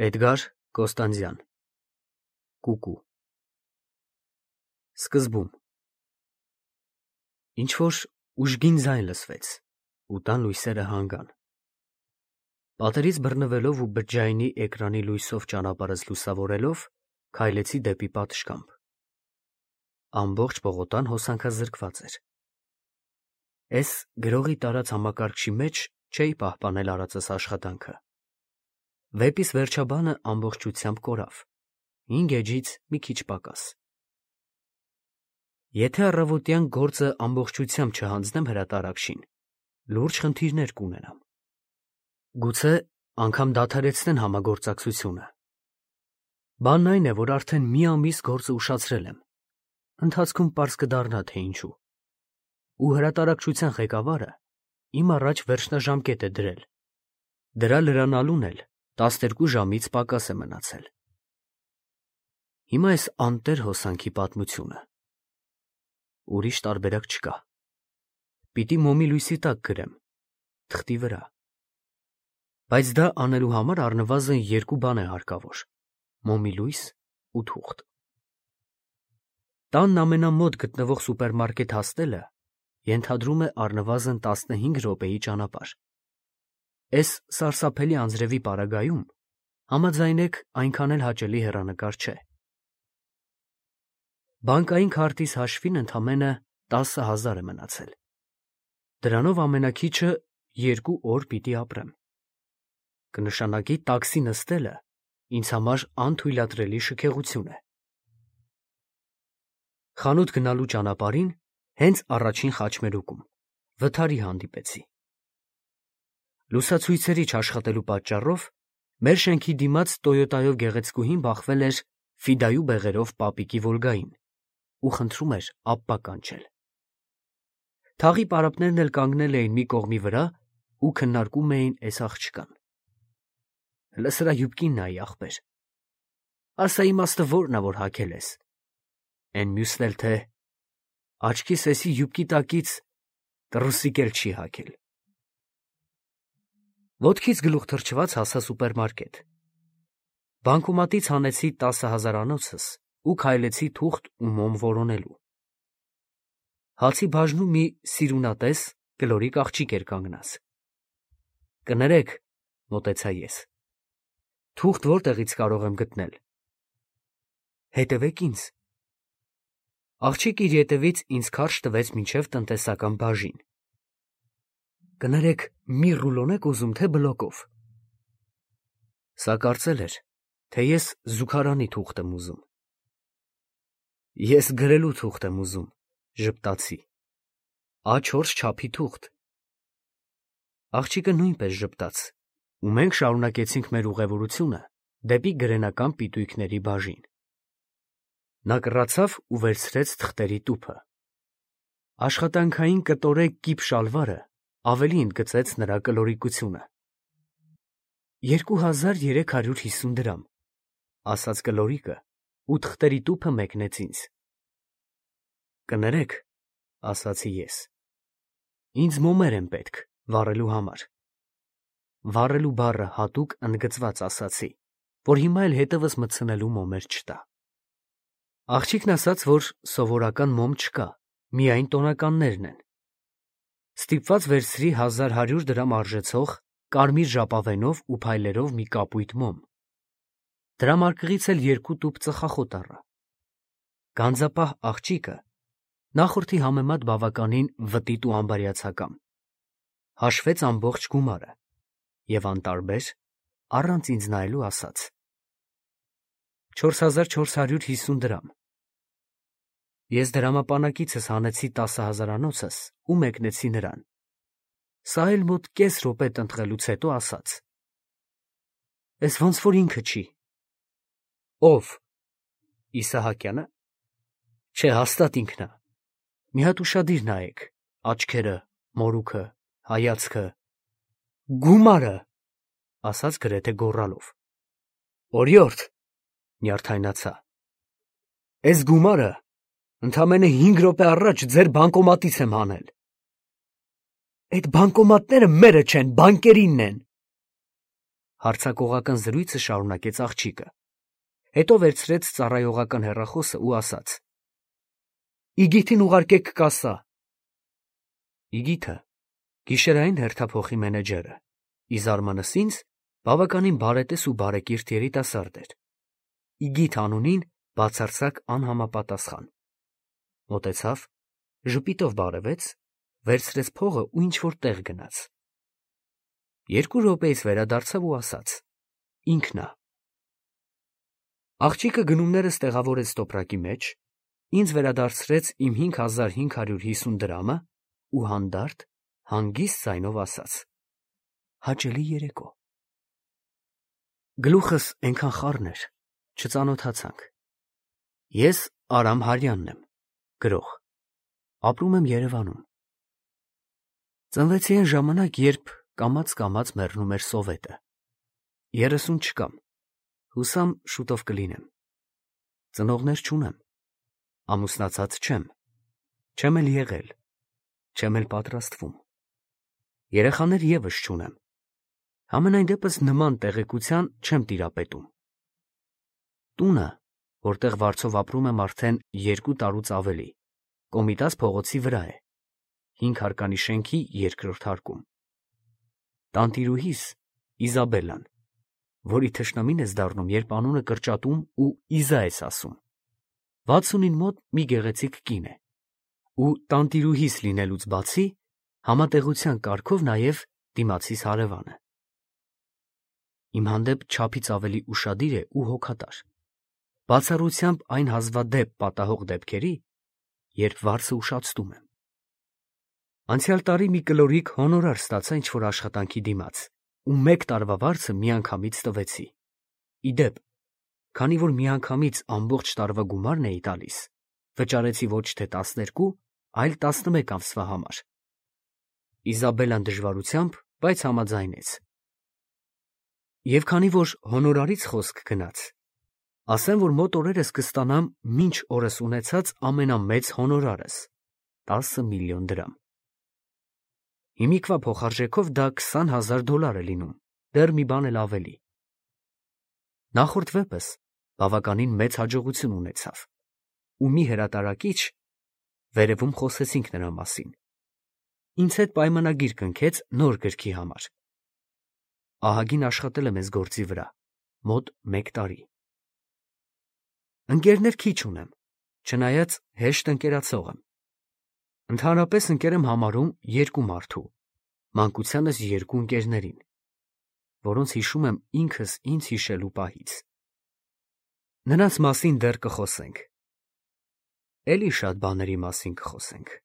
Էդգար Կոստանդյան Կուկու Սկզբում ինչ-որ ուժգին ձայն լսվեց ու տան լույսերը հանգան։ Պատերից բռնվելով ու բջջայինի էկրանի լույսով ճանապարհս լուսավորելով քայլեցի դեպի պատշգամբ։ Ամբողջ պողոտան հոսանքազրկված էր։ Էս գրողի տարած համակարգչի մեջ չէի պահպանել արածս աշխատանքը։ Վեպիս վերջաբանը ամբողջությամբ կորավ, 5 էջից մի քիչ պակաս։ Եթե առավոտյան գործը ամբողջությամբ չհանձնեմ հրատարակչին, լուրջ խնդիրներ կունենամ։ Գուցե անգամ դադարեցնեն համագործակցությունը։ Բանն այն է, որ արդեն մի ամիս գործը ուշացրել եմ, ընթացքում պարզ կդառնա, թե ինչու։ Ու հրատարակչության ղեկավարը իմ առաջ վերջնաժամկետ է դրել։ Դրա լրանալուն էլ 12 ժամից պակաս է մնացել։ Հիմա այս անտեր հոսանքի պատմությունը։ Ուրիշ տարբերակ չկա։ Պիտի մոմի լույսի տակ գրեմ, թղթի վրա։ Բայց դա անելու համար առնվազն 2 բան է հարկավոր՝ մոմի լույս ու թուղթ։ Տանն ամենամոտ գտնվող սուպերմարկետ հասնելը ենթադրում է առնվազն 15 րոպեի ճանապարհ։ Էս սարսափելի անձրևի պարագայում համաձայնեք այնքան էլ հաճելի հեռանկար չէ։ Բանկային քարտից հաշվին ընդամենը 10,000 է մնացել։ Դրանով ամենաքիչը 2 օր պիտի ապրեմ։ Կնշանակի տաքսի նստելը ինձ համար անթույլատրելի շքեղություն է։ Խանութ գնալու ճանապարհին հենց առաջին խաչմերուկում վթարի հանդիպեցի։ Լուսացույցերի չաշխատելու պատճառով մեր շենքի դիմաց Տոյոտայով գեղեցկուհին բախվել էր ֆիդայու բեղերով պապիկի Վոլգային ու խնդրում էր ապպա կանչել։ Թաղի պարապներն էլ կանգնել էին մի կողմի վրա ու քննարկում էին էս աղջկան։ Հլը սրա յուբկին նայի, ախպեր։ Ասա իմաստը որն ա, որ հագել ես։ Էն մյուսն էլ թե աչքիս էսի յուբկի տակից տրուսիկ էլ չի հագել։ Ոտքից գլուխ թռչված հասա սուպերմարկետ։ Բանկոմատից հանեցի 10,000 անոցս ու քայլեցի թուղթ ու մոմ որոնելու։ Հացի բաժնում մի սիրունատես կլորիկ աղջիկ էր կանգնած։ Կներեք, մոտեցա ես։ Թուղթ որտեղից կարող եմ գտնել։ Հետևեք ինձ։ Աղջիկ իր ետևից ինձ քարշ տվեց մինչև տնտեսական բաժին։ Կներեք, մի ռուլոն եք ուզում, թե բլոկով։ Սա կարծել էր, թե ես զուգարանի թուղթ եմ ուզում։ Ես գրելու թուղթ եմ ուզում, ժպտացի։ A4 չափի թուղթ։ Աղջիկը նույնպես ժպտաց, ու մենք շարունակեցինք մեր ուղևորությունը դեպի գրենական պիտույքների բաժին։ Նա կռացավ ու վերցրեց թղթերի տուփը։ Աշխատանքային կտորե կիպ շալվարը ավելի ընդգծեց նրա կլորիկությունը։ 2350 դրամ, ասաց կլորիկը ու թղթերի տուփը մեկնեց ինձ։ Կներեք, ասացի ես։ Ինձ մոմեր են պետք վառելու համար։ Վառելու բառը հատուկ ընդգծված ասացի, որ հիմա էլ հետևս մտցնելու մոմեր չտա։ Աղջիկն ասաց, որ սովորական մոմ չկա, միայն տոնականներն են։ Ստիպված վերցրի 1100 դրամ արժեցող կարմիր ժապավենով ու փայլերով մի կապույտ մոմ։ Դրամարկղից էլ 2 տուփ ծխախոտ առա։ Գանձապահ աղջիկը նախորդի համեմատ բավականին վտիտ ու անբարյացակամ։ Հաշվեց ամբողջ գումարը և անտարբեր, առանց ինձ նայելու ասաց. 4450 դրամ։ Ես դրամապանակիցս հանեցի 10,000 անոցս ու մեկնեցի նրան։ Սա էլ մոտ կես րոպե տնտղելուց հետո ասաց. Էս ոնց որ ինքը չի։ Ո՞վ։ Իսահակյանը։ Չէ, հաստատ ինքն ա։ Մի հատ ուշադիր նայեք, աչքերը, մորուքը, հայացքը։ Գումարը, ասաց գրեթե գոռալով։ Օրիորդ, նյարդայնացա։ Էս գումարը ընդամենը 5 րոպե առաջ ձեր բանկոմատից եմ հանել։ Այդ բանկոմատները մերը չեն, բանկերինն են։ Հարցակողական զրույցը շարունակեց աղջիկը։ Հետո վերցրեց ծառայողական հեռախոսը ու ասաց. Իգիթին ուղարկեք կասա։ Իգիթը գիշերային հերթափոխի մենեջերը, ի զարմանս ինձ բավականին բարետես ու բարեկիրթ երիտասարդ էր։ Իգիթ անունին բացարձակ անհամապատասխան։ Մոտեցավ, ժպիտով բարևեց, վերցրեց փողը ու ինչ-որ տեղ գնաց։ 2 րոպեից վերադարձավ ու ասաց. ինքն ա։ Աղջիկը գնումներս տեղավորեց տոպրակի մեջ, ինձ վերադարձրեց իմ 5550 դրամը ու հանդարտ, հանգիստ ձայնով ասաց. հաճելի երեկո։ Գլուխս այնքան խառն էր, չծանոթացանք։ Ես Արամ Հարյանն եմ, գրող։ Ապրում եմ Երևանում։ Ծնվեցի այն ժամանակ, երբ կամաց-կամաց մեռնում էր Սովետը։ 30 չկամ, հուսամ շուտով կլինեմ։ Ծնողներ չունեմ, ամուսնացած չեմ, չեմ էլ եղել, չեմ էլ պատրաստվում։ Երեխաներ ևս չունեմ, համենայն դեպս նման տեղեկության չեմ տիրապետում։ Տունը, որտեղ վարձով ապրում եմ արդեն 2 տարուց ավելի, Կոմիտաս փողոցի վրա է, 5 հարկանի շենքի 2-րդ հարկում։ Տանտիրուհիս Իզաբելլան, որի թշնամին ես դառնում, երբ անունը կրճատում ու Իզա ես ասում, 60-ին մոտ մի գեղեցիկ կին է, ու տանտիրուհիս լինելուց բացի, համատեղության կարգով նաև դիմացիս հարևանը։ Իմ հանդեպ չափից ավելի ուշադիր է ու հոգատար, բացառությամբ այն հազվադեպ պատահող դեպքերի, երբ վարձը ուշացնում եմ։ Անցյալ տարի մի կլորիկ հոնորար ստացա ինչ-որ աշխատանքի դիմաց, ու 1 տարվա վարձը միանգամից տվեցի։ Ի դեպ, քանի որ միանգամից ամբողջ տարվա գումարն էի տալիս, վճարեցի ոչ թե 12, այլ 11 ամսվա համար։ Իզաբելլան դժվարությամբ, բայց համաձայնեց։ Եվ քանի որ հոնորարից խոսք գնաց, ասեմ, որ մոտ օրերս կստանամ մինչ օրս ունեցած ամենամեծ հոնորարս՝ 10 միլիոն դրամ։ Հիմիկվա փոխարժեքով դա $20,000 է լինում, դեռ մի բան էլ ավելի։ Նախորդ վեպս բավականին մեծ հաջողություն ունեցավ, ու մի հրատարակիչ, վերևում խոսեցինք նրա մասին, ինձ հետ պայմանագիր կնքեց նոր գրքի համար։ Ահագին աշխատել եմ այս գործի վրա, մոտ 1 տարի։ Ընկերներ քիչ ունեմ, չնայած հեշտ ընկերացող եմ։ Ընդհանրապես ընկեր եմ համարում 2 մարդու, մանկությանս 2 ընկերներին, որոնց հիշում եմ ինքս ինձ հիշելու պահից։ Նրանց մասին դեռ կխոսենք։ Էլի շատ բաների մասին կխոսենք։